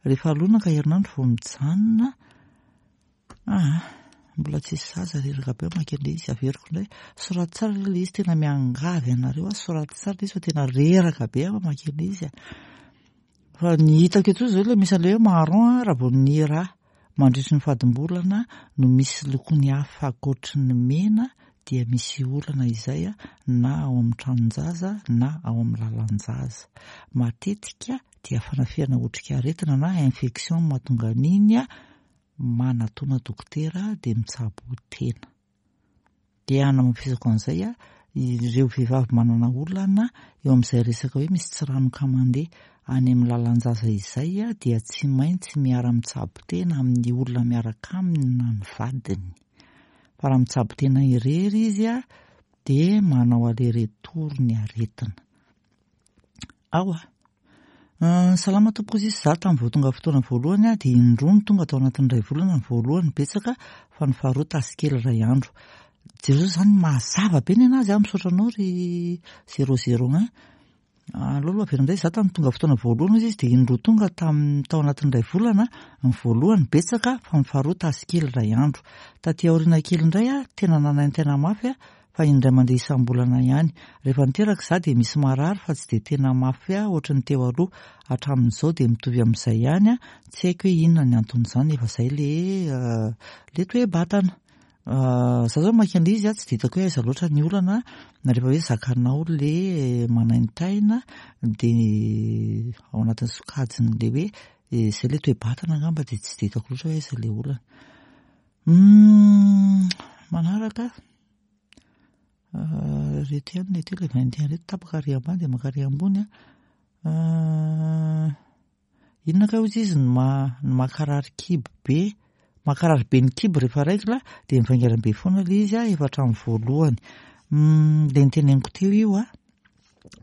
rehefa lonaka herinandro vao mijanona. Aa mbola tsisy zaza reraka be mamaky an'ilay izy, averiko indray, soraty tsara aloha ilay izy, tena miangavy anareo aho, soraty tsara ilay izy fa tena reraka be aho mamaky an'ilay izy a. Fa ny hitako eto izao ilay misy an'ilay hoe marron a, raha vao ny rà mandritry ny fadimbolana no misy lokony hafa ankoatry ny mena dia misy olana izay na ao amin'ny tranon-jaza na ao amin'ny lalan-jaza. Matetika dia fanafihana otrikaretina na infection no mahatonga an'iny manatona dokotera dia mitsabo tena. Dia hanamafisako an'izay a, ireo vehivavy manana olana eo amin'izay resaka hoe misy tsiranoka mandeha any amin'ny lalan-jaza izay dia tsy maintsy miara-mitsabo tena amin'ny olona miaraka aminy na ny vadiny. Fa raha mitsabo tena irery izy dia manao aller-retour ny aretina. Ao a! Salama tompoko izy, za tamin'ny vao tonga fotoana voalohany aho dia indroa no tonga tao anatin'ny iray volana, ny voalohany betsaka fa ny faharoa tasy kely iray andro. Jereo zany mazava be ny anazy a, misaotra anao ry zéro zéro un. Aleo aloha averina indray, za tamin'ny tonga fotoana voalohany hozy izy dia indroa tonga tamin'ny tao anatin'ny iray volana, ny voalohany betsaka fa ny faharoa tasy kely iray andro. Taty aoriana kely indray aho tena nanaintaina mafy fa indray mandeha isam-bolana ihany. Rehefa niteraka izaho dia misy marary fa tsy dia tena mafy ahy ohatry ny teo aloha. Hatramin'izao dia mitovy amin'izay ihany, tsy haiko hoe inona ny anton'izany nefa izay le le toe-batana. Izaho izao mamaky an'ilay izy tsy dia hitako hoe aiza loatra ny olana rehefa hoe zakanao le manaintaina dia ao anatin'ny sokajin'ilay hoe izay ilay toe-batana angamba dia tsy dia hitako loatra hoe aiza ilay olana. Manaraka. Ireto ihany ny aty ilay 21 ireto tapaka ary ambany dia maka ary ambony a. Inona kay hozy izy no ma no makarary kibo be, makarary be ny kibo rehefa règle dia mivaingana be foana ilay izy a efa hatramin'ny voalohany. Ilay noteneniko teo io a,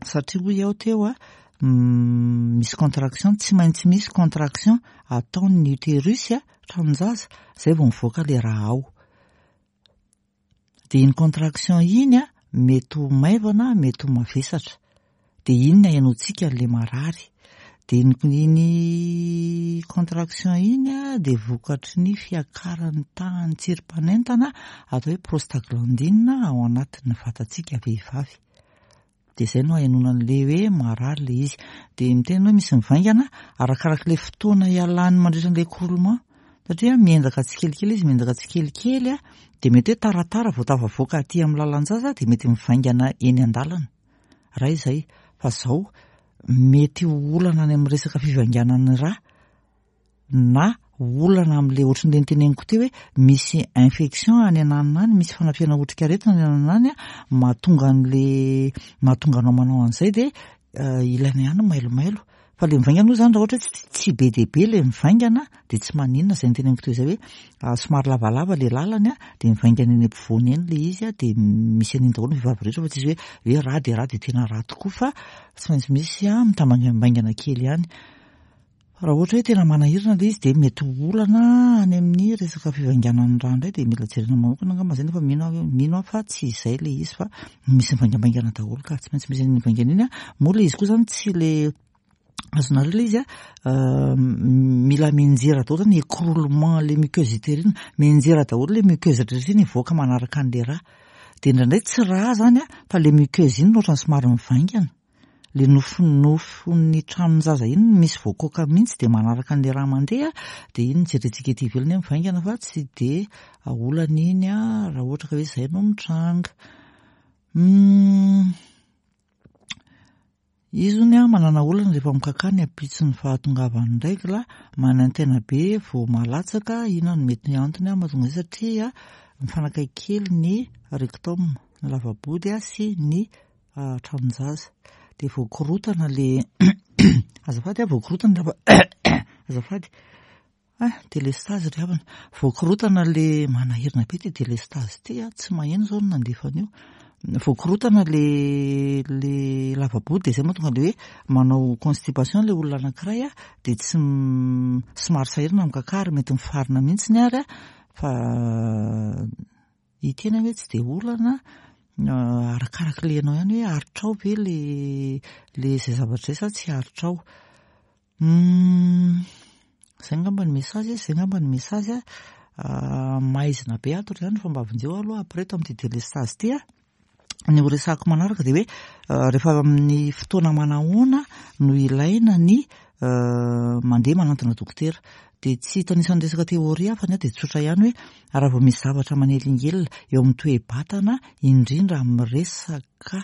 satria hoy aho teo a, misy contraction, tsy maintsy misy contraction ataon'ny utérus a, tranon-jaza, izay vao mivoaka ilay rà ao. Dia iny contraction iny a, mety ho maivana, mety ho mavesatra. Dia iny no ahenoantsika an'ilay marary. Dia iny contraction iny a, dia vokatry ny fiakaran'ny tahan'ny tsirim-panentana atao hoe prostaglandine ao anatin'ny vatantsika vehivavy. Dia izay no ahenoana an'ilay hoe marary ilay izy. Dia miteny hoe misy mivaingana arakarak'ilay fotoana ialany mandritra an'ilay écroulement. Satria miendaka tsikelikely izy, miendaka tsikelikely a, dia mety hoe taratara vao tafavoaka aty amin'ny lalan-jaza dia mety mivaingana eny an-dalana. Raha izay, fa izao mety ho olana any amin'ny resaka fivainganan'ny ra na olana amin'ilay ohatran'ilay noteneniko teo hoe misy infection any ananona any, misy fanafihana otrikaretina any ananona any mahatonga an'le mahatonga anao manao an'izay dia ilaina ihany ny mailomailo. Fa le mivaingana moa zany raha ohatra hoe tsy be dia be le mivaingana dia tsy maninona izay noteneniko teo izay hoe somary lavalava le lalany dia mivaingana eny ampovoany eny le izy dia misy an'iny daholo ny vehivavy rehetra fa tsisy hoe hoe rà dia rà dia tena rà tokoa fa tsy maintsy misy mitambaingambaingana kely ihany. Fa raha ohatra hoe tena manahirana ilay izy dia mety ho olana any amin'ny resaka fivainganan'ny rà indray dia mila jerena manokana angamba izay nefa mino aho mino aho fa tsy izay ilay izy fa misy mivaingambaingana daholo ka tsy maintsy misy an'iny mivaingana iny an. Moa ilay izy koa izany tsy ilay azonareo ilay izy an, mila mianjera daholo izany écroulement le muqueuse utérine, mianjera daholo ilay muqueuse rehetra iny hivoaka manaraka an'ilay rà. Dia indraindray tsy rà izany an fa ilay muqueuse iny no ohatran'ny somary mivaingana. Le nofonofon'ny tranon-jaza iny no misy voakoaka mihitsy dia manaraka an'ilay rà mandeha dia iny no jerentsika ety ivelany hoe mivaingana fa tsy dia olana iny raha ohatra ka hoe izay no mitranga. Izy hono manana olana rehefa mikakà ny ampitson'ny fahatongavan'ny règle, manaintaina be vao malatsaka, inona no mety antony mahatonga izay satria mifanakaiky kely ny rectum, ny lava-body sy ny tranon-jaza dia voakorotana le azafady a voakorotana lava azafady ah délestage ry havana voakorotana le manahirana be ty délestage ty a tsy maheno zao no nandefa an'io voakorotana le le lava-body dia zay mahatonga le hoe manao constipation le olona anankiray a dia tsy somary sahirana mikakà ary mety mifarina mihitsy ny ary a fa Ity anie hoe tsy dia olana, arakaraka ilay ianao ihany hoe aritrao ve le le izay zavatra izay sa tsy aritrao. Izay angamba ny message, izay angamba ny message. Maizina be ato ry zany fa mba vonjeo aloha après eto amin'ity délestage ity a. Ny ho resahako manaraka dia hoe rehefa amin'ny fotoana manahoana no ilaina ny mandeha manantona dokotera. Dia tsy hitanisa ny resaka théorie aho fa ny ahy dia tsotra ihany hoe raha vao misy zavatra manelingelina eo amin'ny toe-batana indrindra amin'ny resaka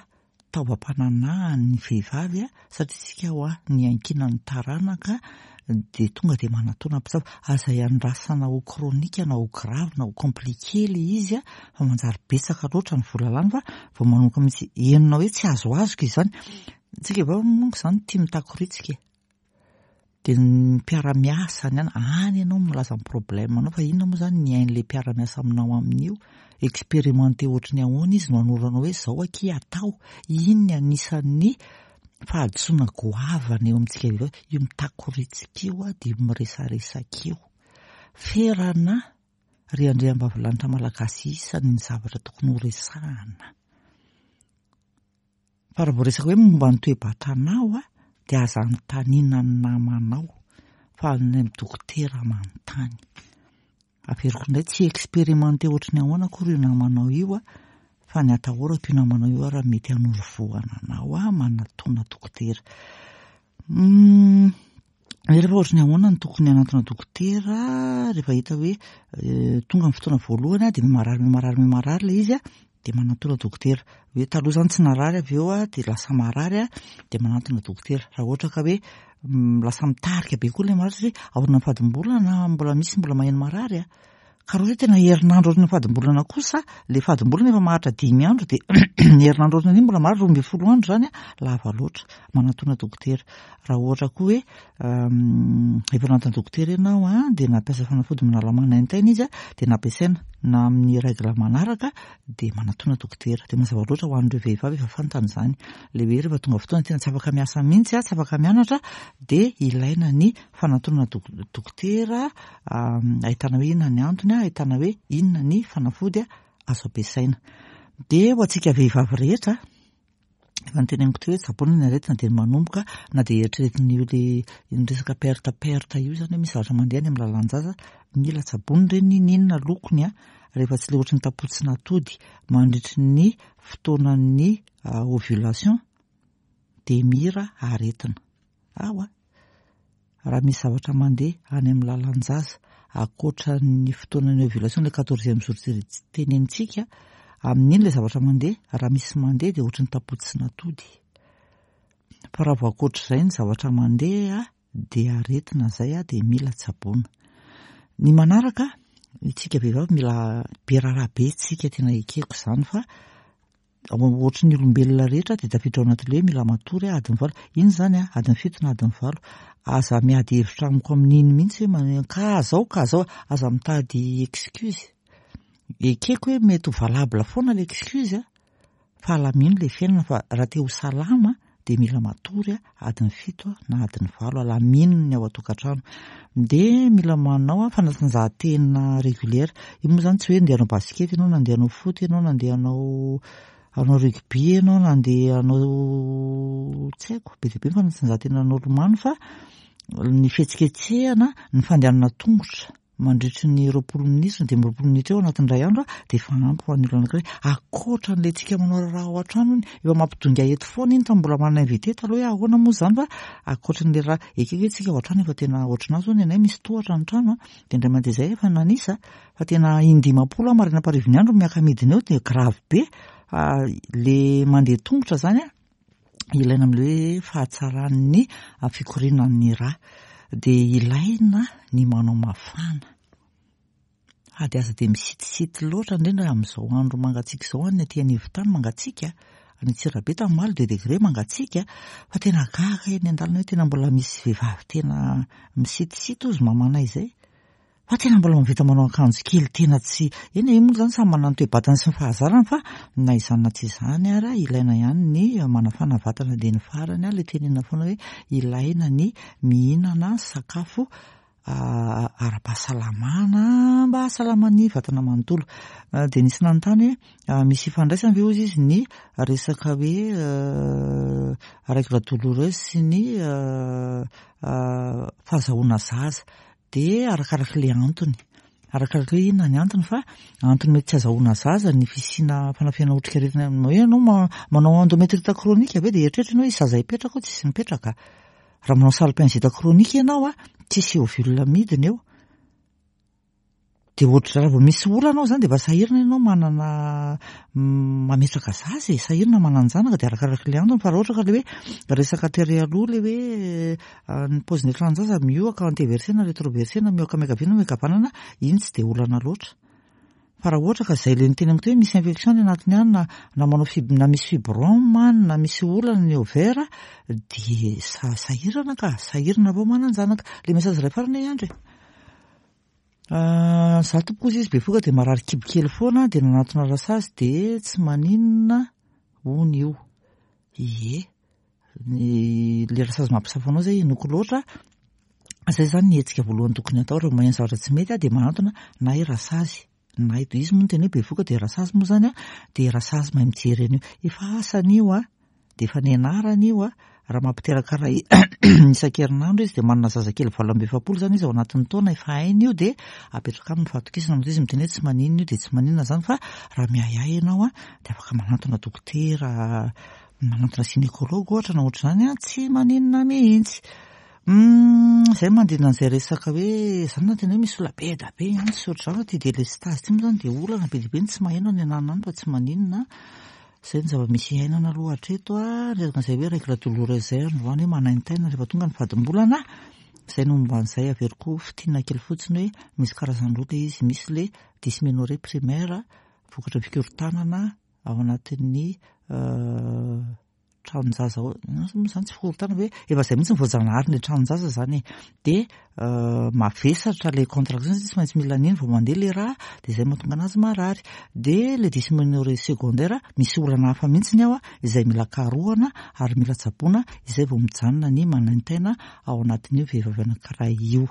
taovam-pananahan'ny vehivavy satria isika hoa niankinan'ny taranaka dia tonga dia manatona mpitsabo. Aza iandrasana ho chronique na ho grave na ho compliqué ilay izy fa manjary betsaka loatra ny vola lany fa vao manomboka mihitsy henonao hoe tsy azoazoko izany. Tsika vehivavy manko izany tia mitakoritsika e. Dia ny mpiara-miasa any any ianao milaza ny problème anao fa inona moa izany ny hain'ilay mpiara-miasa aminao amin'io? Expérimenté ohatry ny ahoana izy no hanoro anao hoe izao akia atao? Iny ny anisan'ny fahadisoana goavana eo amintsika vehivavy, io mitakoritsika io dia io miresaresaka io. Ferana ry andriambavilanitra malagasy isany ny zavatra tokony horesahana. Fa raha vao resaka hoe momba ny toe-batanao a, dia aza anontaniana ny namanao fa any amin'ny dokotera manontany. Averiko indray, tsy expérimenté ohatry ny ahoana akory io namanao io a, fa ny atahorako io namanao io ary mety hanoro vohana anao a, manatona dokotera. Rehefa ohatry ny ahoana no tokony hanantona dokotera rehefa hita hoe tonga ny fotoana voalohany dia marary marary marary ilay izy dia manantona dokotera. Hoe taloha izany tsy narary avy eo dia lasa marary dia manantona dokotera. Raha ohatra ka hoe lasa mitarika be koa ilay marary satria aorian'ny fadimbolana mbola misy mbola maheno marary a. Ka raha ohatra hoe tena herinandro aorian'ny fadimbolana kosa, ilay fadimbolana efa maharitra 5 andro dia ny herinandro aorian'iny mbola marary 12 andro izany, lava loatra. Manatona dokotera. Raha ohatra koa hoe efa nanatona dokotera ianao dia nampiasa fanafody manala manaintaina izy dia nampiasaina na amin'ny règle manaraka dia manatona dokotera. Dia mazava loatra ho an'ireo vehivavy efa fantany izany. Ilay hoe rehefa tonga fotoana tena tsy afaka miasa mihitsy, tsy afaka mianatra dia ilaina ny fanatona dokotera ahitana hoe inona ny antony, ahitana hoe inona ny fanafody. azo ampiasaina. Dia ho antsika vehivavy rehetra, efa noteneniko teo hoe tsaboina ny aretina dia manomboka na dia eritreretin'io le ny resaka perte perte io izany hoe misy zavatra mandeha any amin'ny lalan-jaza, mila tsaboina ireny n'inon'inona lokony a, rehefa tsy le ohatry ny tapotsin'atody mandritry ny fotoanan'ny ovulation dia mira aretina. Ao a! Raha misy zavatra mandeha any amin'ny lalan-jaza ankoatra ny fotoanan'ny ovulation, ilay quatorzième jour tenenintsika, amin'iny ilay zavatra mandeha, raha misy mandeha dia ohatry ny tapotsin'atody. Fa raha vao ankoatr'izay ny zavatra mandeha dia aretina izay dia mila tsaboina. Ny manaraka, isika vehivavy mila be raharaha be tsika, tena ekeko izany fa ohatry ny olombelona rehetra dia tafiditra ao anatin'ilay hoe mila matory adiny valo. Iny izany a, adiny fito na adiny valo. Aza miady hevitra amiko amin'iny mihitsy hoe manao ka zao ka zao, aza mitady excuse. Ekeko hoe mety ho valable foana ilay excuse a, fa alamino ilay fiainana fa raha te ho salama dia mila matory adiny fito na adiny valo, alamino ny ao an-tokantrano. Dia mila manao fanatanjahantena régulière. Io moa izany tsy hoe andeha hanao basket ianao na andeha hanao foot ianao na andeha hanao hanao rugby ianao na andeha hanao tsy haiko, be dia be ny fanatanjahantena hanao lomano fa ny fihetsiketsehana, ny fandehanana tongotra. mandritry ny 20 minitra na 25 minitra eo anatin'ny iray andro dia efa ampy ho an'ny olona anankiray. Ankoatra an'ilay tsika manao raharaha ao an-trano iny, efa mampidongy ahy eto foana iny tamin'ny mbola manana invité taloha hoe ahoana moa izany fa ankoatra an'ilay raha ekeko hoe tsika ao an-trano efa tena ohatran'ahy izao ny anay misy tohatra ny trano dia indray mandeha izay efa nanisa fa tena in-dimampolo aho maraina am-parivon'ny andro miaka-midina eo dia grave be le mandeha tongotra izany an. ilaina amin'ilay hoe fahatsaran'ny fikorianan'ny rà dia ilaina ny manao mafana ady aza dia misitisity loatra indrindra amin'izao andro mangatsiaka izao any aty anivon-tany mangatsiaka any Antsirabe tamin'ny omaly deux degré mangatsiaka fa tena gaga eny an-dalana hoe tena mbola misy vehivavy tena misitisity hozy mamanay izay Fa tena mbola mahavita manao akanjo kely tena tsy, eny e, io moa izany samy manana ny toe-batany sy ny fahazarany fa na izany na tsy izany ara ilaina ihany ny manafana vatana dia ny farany ilay tenenina foana hoe ilaina ny mihinana sakafo ara-pahasalamana mba hahasalama ny vatana manontolo. Dia nisy nanontany hoe misy ifandraisany ve hozy izy ny resaka hoe règle douloureuse sy ny fahazahoana zaza. Dia arakaraka ilay antony. Arakaraka hoe inona ny antony fa antony mety tsy azahoana zaza ny fisiana fanafihana otrikaretina hoe ianao manao endométrite chronique ve dia eritreritra ianao hoe zaza hipetraka ao tsisy mipetraka. Raha manao salpingite chronique ianao a, tsisy ovule midina eo. Dia ohatr'izay raha vao misy olana ao izany dia efa sahirana ianao manana mametraka zaza e, sahirana manan-janaka dia arakaraka ilay antony fa raha ohatra ka ilay hoe resaka tery aloha ilay hoe ny paozin'ny tranon-jaza mihoaka anteversena retroversena mihoaka miankavia na miankavanana, iny tsy dia olana loatra. Fa raha ohatra ka izay ilay niteneniko teo hoe misy infection any anatiny any na na manao fib- na misy fibrome any na misy olana ny ovaire dia sahirana ka, sahirana vao manan-janaka. Ilay message iray farany e Andry e. Za tompoko ozy izy bevoka dia marary kibo kely foana dia nanatona rasazy dia tsy maninona hono io. Ie, ny le rasazy mampisafo anao zay inoako loatra, zay zany ny hetsika voalohany tokony atao raha maheno zavatra tsy mety dia manantona na i rasazy na i izy moa no tena hoe bevoka dia rasazy moa zany dia rasazy mahay mijery an'io. Efa asany io an. Dia efa nianarany io a, raha mampiteraka iray isan-kerinandro izy dia manana zazakely 48 izany izy ao anatin'ny taona, efa hainy io dia apetraka aminy ny fahatokisana, matoa izy miteny hoe tsy maninona io dia tsy maninona izany fa raha miahiahy ianao a, dia afaka manantona dokotera, manantona gynécologue ohatra na ohatr'izany a, tsy maninona mihitsy. Izay manodidina an'izay resaka hoe izany na tena hoe misy olona be dia be ihany sy ohatr'izany fa ity délestage ity moa izany dia olana be dia be ny tsy maheno any ananona any fa tsy maninona. Izay ny zava-misy iainana aloha hatreto a, resaka an'izay hoe règle douloureuse izay androany hoe manaintaina rehefa tonga ny fadimbolana, izay no momba an'izay averiko fintinina kely fotsiny hoe misy karazany roa ilay izy, misy ilay dysménorrhée primaire vokatry ny fikorontanana ao anatin'ny tranon-jaza ao, inona moa izany tsy fikorontanana hoe efa izay mihitsy ny voajanahary ny tranon-jaza izany e, dia mavesatra ilay contraction satria tsy maintsy mila an'iny vao mandeha ilay rà dia izay mahatonga anazy marary, dia ilay dysménorrhée secondaire misy olana hafa mihitsy ny ao izay mila karohana ary mila tsaboina izay vao mijanona ny manaintaina ao anatin'io vehivavy anankiray io.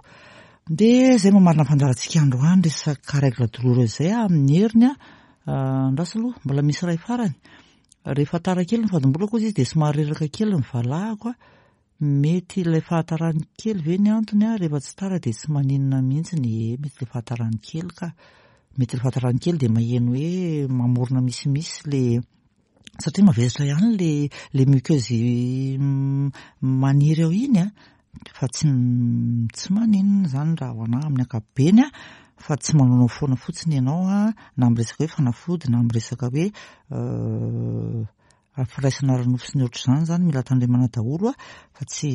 Dia izay mamarana ny fandaharantsika androany resaka règle douloureuse izay amin'ny heriny. Andraso aloha, mbola misy iray farany. Rehefa tara kely ny fadimbolako hozy izy dia somary reraka kely ny valahako. Mety ilay fahatarany kely ve ny antony a? Rehefa tsy tara dia tsy maninona mihitsy ny e, mety ilay fahatarany kely ka. Mety ilay fahatarany kely dia maheno hoe mamorona misimisy le satria mavesatra ihany le le muqueuse maniry ao iny a, fa tsy tsy maninona izany raha ho anà amin'ny ankapobeny a, fa tsy manaonao foana fotsiny ianao a, na amin'ny resaka hoe fanafody na amin'ny resaka hoe Ary firaisana ara-nofo sy ny ohatr'izany izany mila tandremana daholo a, fa tsy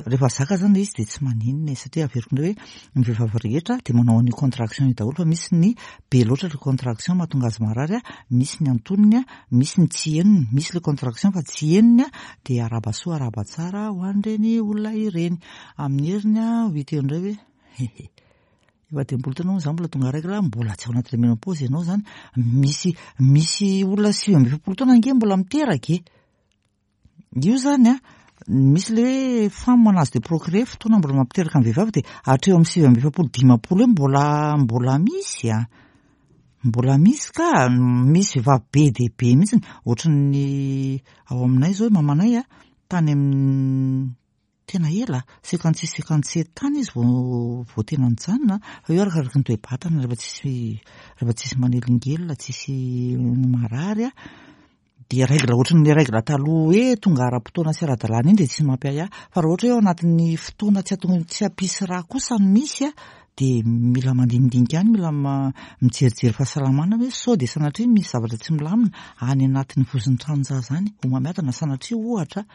rehefa zaka izany ilay izy dia tsy maninona e, satria averiko indray hoe ny vehivavy rehetra dia manao an'io contraction io daholo fa misy ny be loatra ilay contraction mahatonga azy marary a, misy ny antonony a, misy ny tsy henony, misy ilay contraction fa tsy henony a, dia arahaba soa arahaba tsara ho an'ireny olona ireny. Amin'ny heriny a, ho hita eo indray hoe hehe. Efa 50 taona moa za mbola tonga règle, mbola tsy ao anatin'ny ménopause ianao zany. Misy misy olona 49 taona ange mbola miteraka e. Io zany a, misy le hoe femme en âge de procréer, fotoana mbola mampiteraka ny vehivavy dia hatreo amin'ny 49 50 eo mbola mbola misy a. Mbola misy ka, misy vehivavy be dia be mihitsy, ohatran'ny ao aminay zao mamanay a, tany amin'ny Tena ela, 56 57 tany izy vao vao tena nijanona, fa io arakaraky ny toe-batana rehefa tsisy rehefa tsisy manelingelina, tsisy marary a, dia règle ohatran'ny règle taloha hoe tonga ara-potoana sy ara-dalàna iny dia tsy mampiahiahy, fa raha ohatra hoe ao anatin'ny fotoana tsy ahatonga tsy hampisy rà kosa no misy a, dia mila mandinidinika ihany, mila mijerijery fahasalamana hoe sao dia sanatria misy zavatra tsy milamina any anatin'ny vozon'ny tranon-jaza any, homamiadana sanatria ohatra.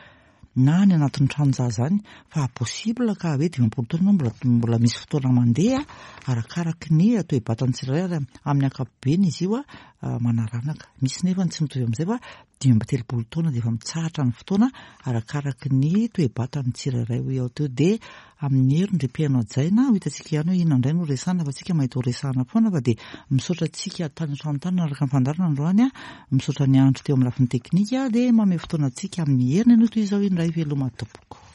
na any anatin'ny tranon-jaza any fa possible ka hoe 50 taona ianao mbola mbola misy fotoana mandeha arakaraky ny toe-batan'ny tsirairay ary amin'ny ankapobeny izy io manaranaka. Misy nefa ny tsy mitovy amin'izay fa 35 taona dia efa mitsahatra ny fotoana arakaraky ny toe-batan'ny tsirairay hoy aho teo dia Amin'ny heriny ry mpihaino hajaina, ho hitantsika ihany hoe inona indray no resahana fa tsika mahita ho resahana foana fa dia misaotra antsika tany an-trano tany nanaraka ny fandaharana androany a, misaotra an'i Andry teo amin'ny lafiny teknika dia mamehy fotoana antsika amin'ny heriny anio toy izao indray veloma tompoko.